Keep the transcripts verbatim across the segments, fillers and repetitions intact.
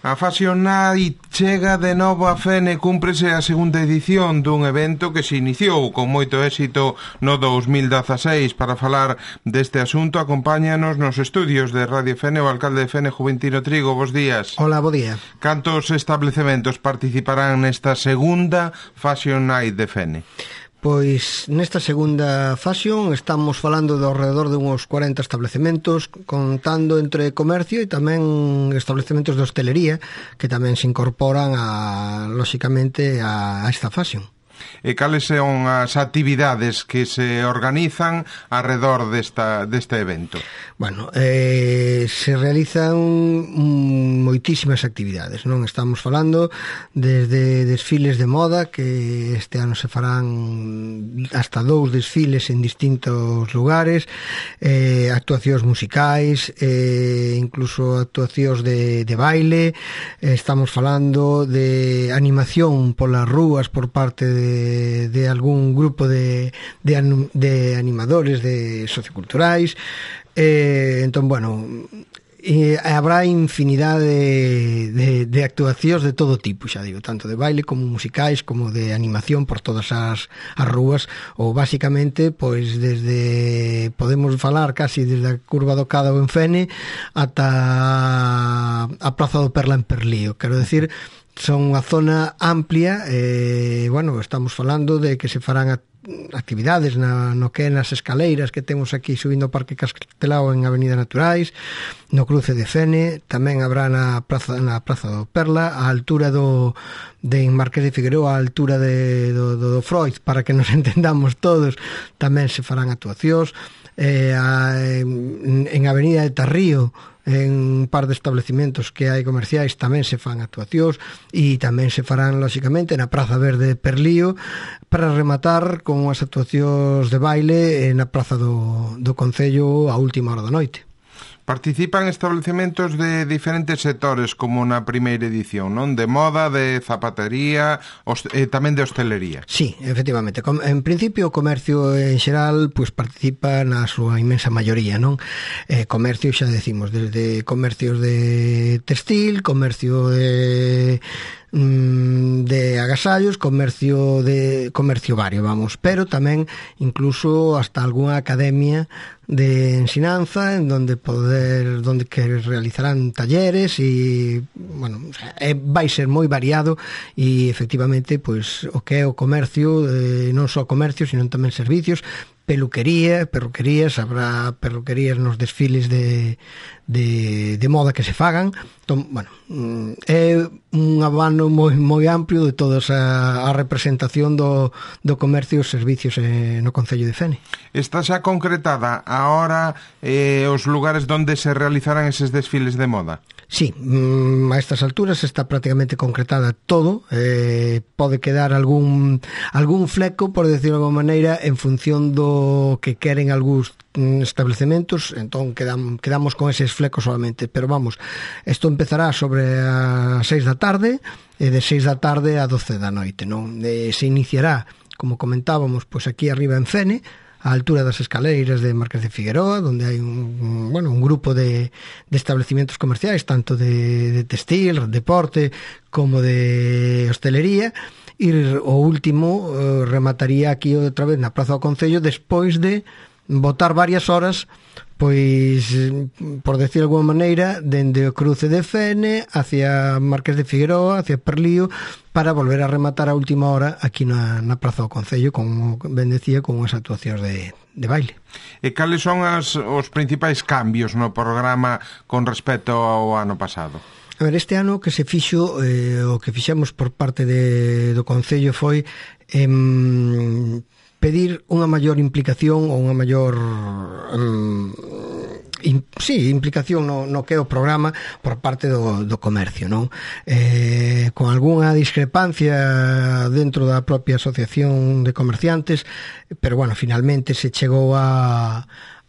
A Fashion Night chega de novo a Fene, cúmprese a segunda edición dun evento que se iniciou con moito éxito no dos mil dezaseis. Para falar deste asunto, acompáñanos nos estudios de Radio Fene o alcalde de Fene, Juventino Trigo. Bos días. Hola, bo día. Cantos establecementos participarán nesta segunda Fashion Night de Fene? Pois nesta segunda fashion estamos falando de alrededor de uns cuarenta establecementos, contando entre comercio e tamén establecementos de hostelería que tamén se incorporan a, lóxicamente a, a esta fashion. E cales son as actividades que se organizan arredor desta, deste evento? Bueno, eh, se realizan moitísimas actividades, non? Estamos falando desde desfiles de moda, que este ano se farán hasta dous desfiles en distintos lugares, eh, actuacións musicais, eh, incluso actuacións de, de baile, eh, estamos falando de animación polas rúas por parte de De, de algún grupo de, de, de animadores de socioculturais, eh, entón, bueno, e habrá infinidade de, de, de actuacións de todo tipo, xa digo, tanto de baile como musicais, como de animación por todas as, as rúas, ou basicamente, pois, desde, podemos falar casi desde a Curva do Cádao en Fene ata a Praza do Perla en Perlío, quero decir, son unha zona amplia, eh, bueno, estamos falando de que se farán a, actividades na, no que é nas escaleiras que temos aquí subindo o Parque Castelao en Avenida Naturais, no cruce de Fene, tamén habrá na Praza, na Praza do Perla, a altura do de Marqués de Figueroa, a altura de, do, do, do Freud, para que nos entendamos todos, tamén se farán actuacións, eh, a, en, en Avenida de Tarrío, en un par de establecimentos que hai comerciais tamén se fan actuacións e tamén se farán, lóxicamente, na Praza Verde de Perlío, para rematar con as actuacións de baile na Praza do, do Concello a última hora da noite. Participan establecementos de diferentes sectores, como na primeira edición, non? De moda, de zapatería, e tamén de hostelería. Sí, efectivamente. En principio, o comercio en xeral pues, participa na súa inmensa maioría, non? Eh, comercio, xa decimos, desde comercios de textil, comercio de de agasallos, comercio de comercio vario, vamos, pero tamén incluso hasta algunha academia de ensinanza en donde poder donde que realizarán talleres e, bueno, é, vai ser moi variado e efectivamente, pois, o que é o comercio, eh, non só comercio, sino tamén servicios, peluquería, perruquerías, habrá perruquerías nos desfiles de, de, de moda que se fagan. Entón, bueno, é un abano moi, moi amplio de toda a, a representación do, do comercio e os servicios eh, no Concello de Fene. Está xa concretada a hora e eh, os lugares onde se realizarán eses desfiles de moda? Sí, mm, a estas alturas está prácticamente concretada todo, eh, pode quedar algún algún fleco, por decirlo de alguma maneira, en función do que queren algúns establecementos, entón quedam, quedamos con eses flecos solamente, pero vamos, isto empezará sobre as seis da tarde e de seis da tarde a doce da noite, non? E se iniciará, como comentábamos, pois aquí arriba en Fene, a altura das escaleiras de Marqués de Figueroa, donde hai un, bueno, un grupo de, de establecimientos comerciais, tanto de, de textil, deporte, como de hostelería, e o último eh, remataría aquí outra vez na Praza do Concello, despois de botar varias horas, pois, por decir de alguma maneira, dende o cruce de Fene hacia Marqués de Figueroa, hacia Perlío, para volver a rematar a última hora aquí na, na Praza do Concello, como ben decía, con as actuacións de, de baile. E cales son as, os principais cambios no programa con respecto ao ano pasado? A ver, este ano que se fixo, eh, o que fixemos por parte de, do Concello foi eh, pedir unha maior implicación ou unha maior um, in, sí, implicación no, no que é o programa por parte do, do comercio, non? Eh, con algunha discrepancia dentro da propia asociación de comerciantes, pero bueno, finalmente se chegou a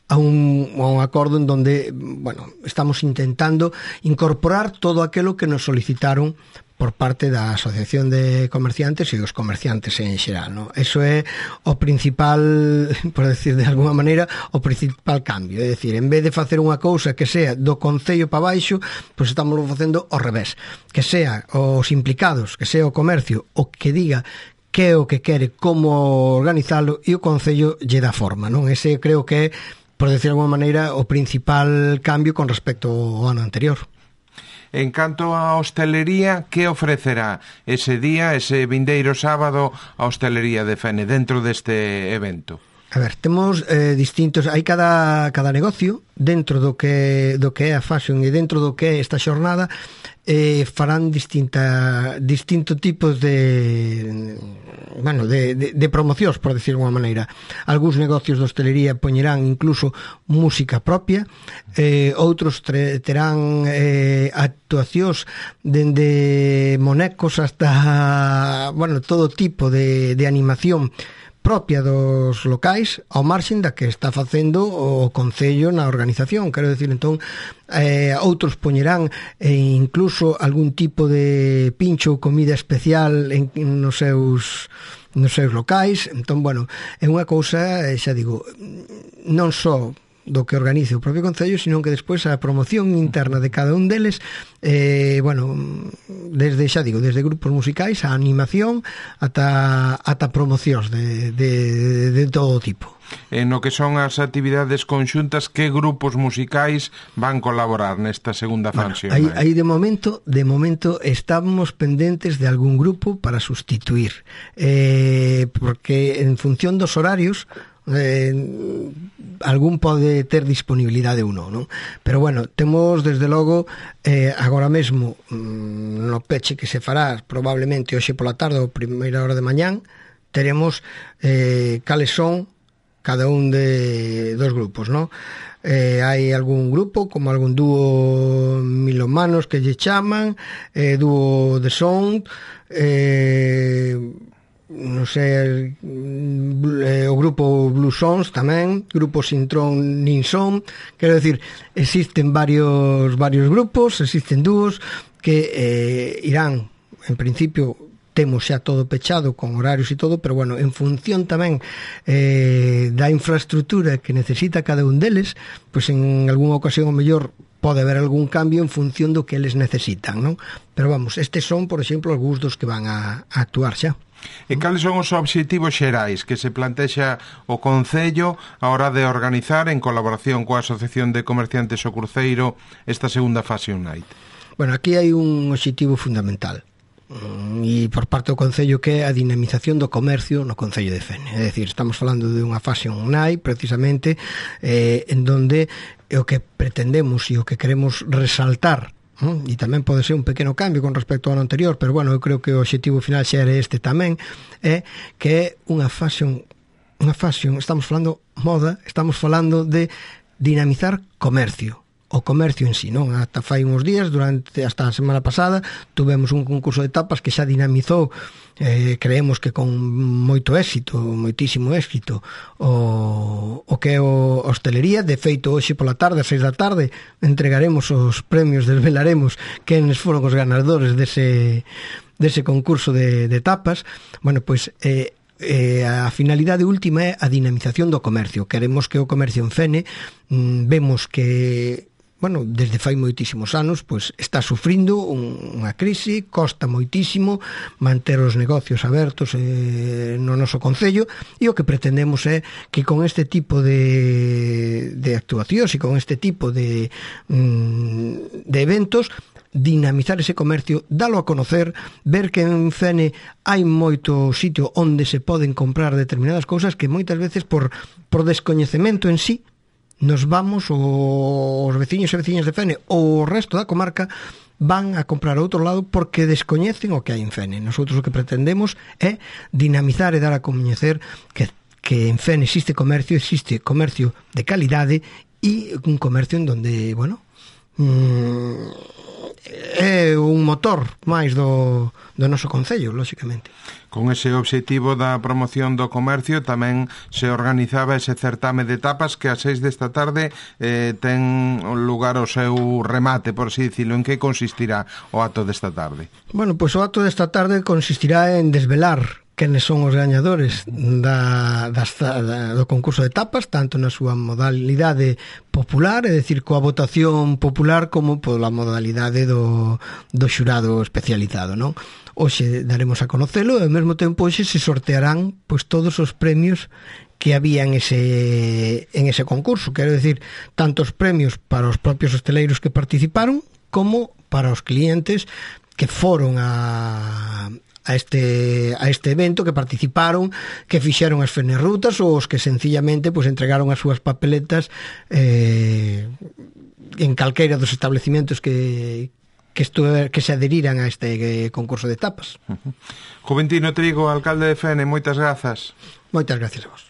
a un, a un acordo en donde, bueno, estamos intentando incorporar todo aquilo que nos solicitaron por por parte da Asociación de Comerciantes e os comerciantes en xeral, no? Eso é o principal, por decir de alguma maneira, o principal cambio, é dicir, en vez de facer unha cousa que sea do concello para baixo, pois estamos facendo ao revés, que sea os implicados, que sea o comercio o que diga que é o que quere, como organizalo, e o concello lle dá forma, non? Ese creo que é, por decir de alguma maneira, o principal cambio con respecto ao ano anterior. En canto á hostelería, que ofrecerá ese día, ese vindeiro sábado, a hostelería de Fene dentro deste evento? A ver, temos eh, distintos, hai cada, cada negocio dentro do que, do que é a fashion e dentro do que é esta xornada, eh, farán distinta, distintos tipos de, bueno, de, de, de promocións, por decir de alguma maneira. Algúns negocios de hostelería poñerán incluso música propia, eh, outros tre, terán eh, actuacións dende monecos hasta, bueno, todo tipo de, de animación propia dos locais ao marxen da que está facendo o Concello na organización. Quero decir, entón, eh, outros poñerán eh, incluso algún tipo de pincho ou comida especial en, nos seus nos seus locais. Entón, bueno, é unha cousa, xa digo, non só do que organice o propio Concello, sino que despois a promoción interna de cada un deles, eh, bueno, desde, xa digo, desde grupos musicais, a animación, ata, ata promocións de, de, de todo tipo. En o que son as actividades conxuntas, que grupos musicais van colaborar nesta segunda función? Bueno, aí, aí de momento, de momento estamos pendentes de algún grupo para sustituir, eh, porque en función dos horarios, Eh, algún pode ter disponibilidade ou non, non? Pero bueno, temos desde logo eh, agora mesmo mm, no peche que se fará probablemente hoxe pola tarde ou primeira hora de mañán, teremos eh, cales son cada un de dos grupos, non? Eh, hai algún grupo como algún dúo milomanos que lle chaman, eh, dúo de sound, eh non sei, eh, o grupo Blue Sons tamén, grupo Sintron Nin Son, quero decir, existen varios varios grupos, existen dúos que eh, irán, en principio temos xa todo pechado con horarios e todo, pero bueno, en función tamén eh, da infraestructura que necesita cada un deles, pois en algunha ocasión o mellor pode haber algún cambio en función do que eles necesitan, non? Pero vamos, estes son, por exemplo, algúns dos que van a, a actuar xa. E cales son os obxectivos xerais que se plantexa o Concello a hora de organizar en colaboración coa Asociación de Comerciantes o Cruceiro esta segunda Fashion Night? Bueno, aquí hai un obxectivo fundamental e por parte do Concello, que é a dinamización do comercio no Concello de Fene. É dicir, estamos falando de unha Fashion Night precisamente eh, en donde o que pretendemos e o que queremos resaltar, ¿no? E tamén pode ser un pequeno cambio con respecto ao ano anterior, pero bueno, eu creo que o obxectivo final xa era este tamén, é que é unha fashion, unha fashion, estamos falando moda, estamos falando de dinamizar comercio, o comercio en sí, non? Ata fai uns días, durante hasta a semana pasada, tuvemos un concurso de tapas que xa dinamizou, eh, creemos que con moito éxito, moitísimo éxito, o, o que é o hostelería. De feito, hoxe pola tarde, a seis da tarde, entregaremos os premios, desvelaremos quenes foron os ganadores dese, dese concurso de, de tapas. Bueno, pois, eh, Eh, a finalidade última é a dinamización do comercio. Queremos que o comercio en Fene, mm, vemos que, bueno, desde fai moitísimos anos, pois está sufrindo un, unha crise, costa moitísimo manter os negocios abertos eh, no noso concello, e o que pretendemos é que con este tipo de, de actuacións e con este tipo de, mm, de eventos, dinamizar ese comercio, dalo a conocer, ver que en Fene hai moito sitio onde se poden comprar determinadas cousas que moitas veces por, por descoñecemento en sí nos vamos, os veciños e veciñas de Fene ou o resto da comarca van a comprar a outro lado porque descoñecen o que hai en Fene. Nosotros o que pretendemos é dinamizar e dar a coñecer que, que en Fene existe comercio, existe comercio de calidade e un comercio en donde, bueno, mm, é un motor máis do, do noso concello, lóxicamente. Con ese obxectivo da promoción do comercio tamén se organizaba ese certame de tapas que a seis desta tarde eh, ten lugar o seu remate, por así dicilo. En que consistirá o acto desta tarde? Bueno, pois o acto desta tarde consistirá en desvelar quenes son os gañadores da, das, da, do concurso de tapas, tanto na súa modalidade popular, é dicir, coa votación popular, como pola modalidade do, do xurado especializado, non? Hoxe daremos a conocelo e ao mesmo tempo hoxe se sortearán pois todos os premios que había en ese, en ese concurso, quero decir, tantos premios para os propios hosteleiros que participaron como para os clientes que foron a a este a este evento, que participaron, que fixeron as fenerrutas ou os que sencillamente pues, entregaron as súas papeletas eh, en calqueira dos establecimentos que que, estuve, que se adheriran a este eh, concurso de tapas. Uh-huh. Juventino Trigo, alcalde de Fene, moitas grazas. Moitas gracias a vos.